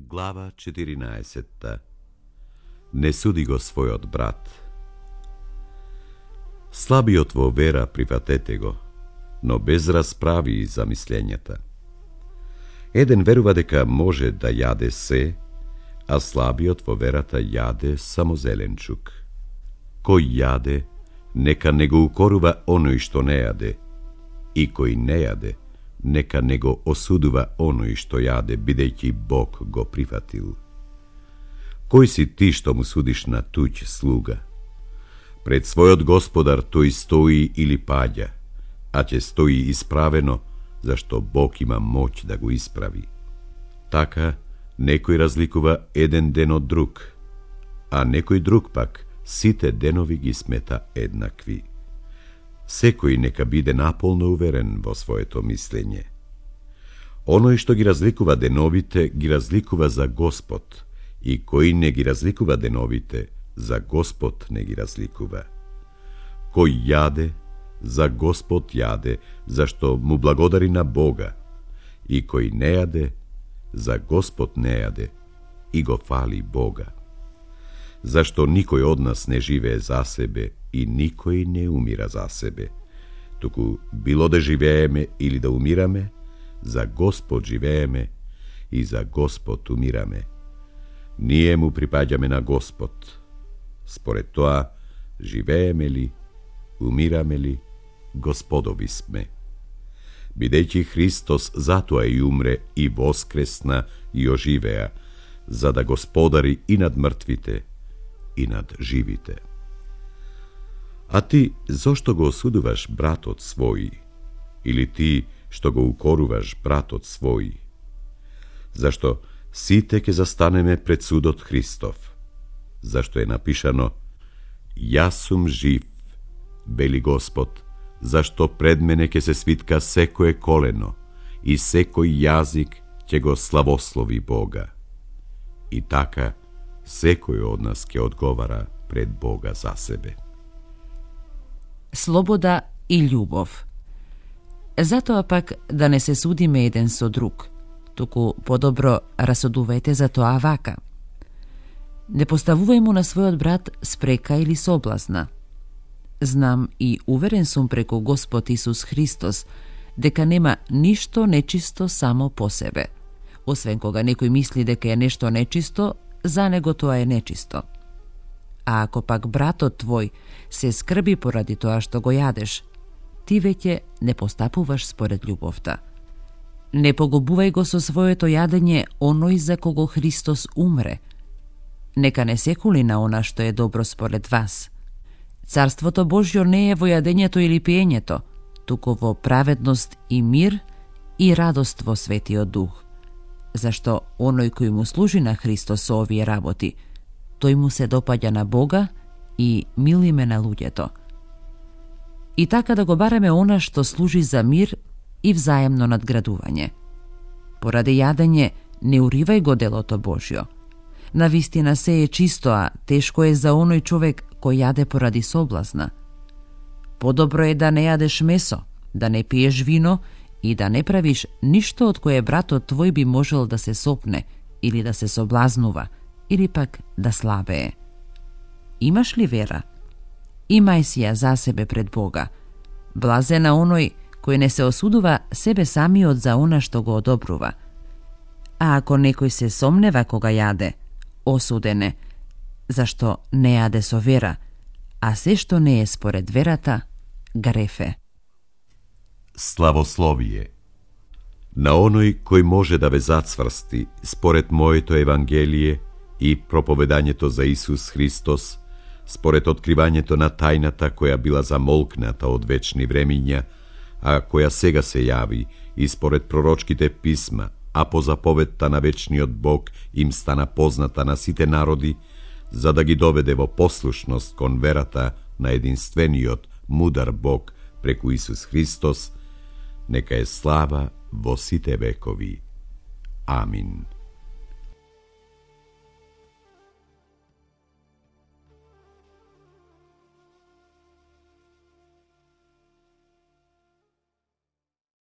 Глава 14. Не суди го својот брат. Слабиот во вера прифатете го, но без расправи и замислењата. Еден верува дека може да јаде се, а слабиот во верата јаде само зеленчук. Кој јаде, нека не го укорува оној што не јаде, и кој не јаде, нека не го осудува оној што јаде, бидејќи Бог го прифатил. Кој си ти што му судиш на туѓ слуга? Пред својот господар тој стои или паѓа, а ќе стои исправено, зашто Бог има моќ да го исправи. Така, некој разликува еден ден од друг, а некој друг пак сите денови ги смета еднакви. Секој нека биде наполно уверен во своето мислење. Оној што ги разликува деновите, ги разликува за Господ, и кој не ги разликува деновите, за Господ не ги разликува. Кој јаде, за Господ јаде, зашто му благодари на Бога, и кој не јаде, за Господ не јаде, и го фали Бога. Зашто никој од нас не живее за себе и никој не умира за себе. Туку било да живееме или да умираме, за Господ живееме и за Господ умираме. Ние му припаѓаме на Господ. Според тоа, живееме ли, умираме ли, Господови сме. Бидејќи Христос затоа и умре и воскресна и оживеа, за да господари и над мртвите и над живите. А ти зошто го осудуваш братот свој? Или ти што го укоруваш братот свој? Зашто сите ќе застанеме пред судот Христов. Зашто е напишано: Јас сум жив, вели Господ, зашто пред мене ќе се свитка секое колено и секој јазик ќе го славослови Бога. И така, секој од нас ќе одговара пред Бога за себе. Слобода и љубов. Затоа пак да не се судиме еден со друг, туку подобро расудувајте за тоа вака. Не поставувај му на својот брат спрека или соблазна. Знам и уверен сум преку Господ Исус Христос дека нема ништо нечисто само по себе. Освен кога некој мисли дека е нешто нечисто, за него тоа е нечисто. А ако пак братот твој се скрби поради тоа што го јадеш, ти веќе не постапуваш според љубовта. Не погубувај го со своето јадење оној за кого Христос умре. Нека не се кули на она што е добро според вас. Царството Божјо не е во јадењето или пиењето, туку во праведност и мир и радост во Светиот Дух. Зашто оној кој му служи на Христос со овие работи, тој му се допаѓа на Бога и милиме на луѓето. И така да го бараме она што служи за мир и взаемно надградување. Поради јадење не уривај го делото Божјо. Навистина се е чисто, а тешко е за оној човек кој јаде поради соблазна. Подобро е да не јадеш месо, да не пиеш вино и да не правиш ништо од кое братот твој би можел да се сопне или да се соблазнува, или пак да слабее. Имаш ли вера? Имај си ја за себе пред Бога. Блазен на оној кој не се осудува себе самиот за она што го одобрува. А ако некој се сомнева кога јаде, осуден е, зашто не јаде со вера, а се што не е според верата, грефе. Славословие. На оној кој може да ве зацврсти според моето Евангелие и проповедањето за Исус Христос, според откривањето на тајната која била замолкната од вечни времиња, а која сега се јави, и според пророчките писма, а по заповедта на вечниот Бог им стана позната на сите народи, за да ги доведе во послушност кон верата на единствениот мудар Бог преку Исус Христос, нека е слава во сите векови. Амин.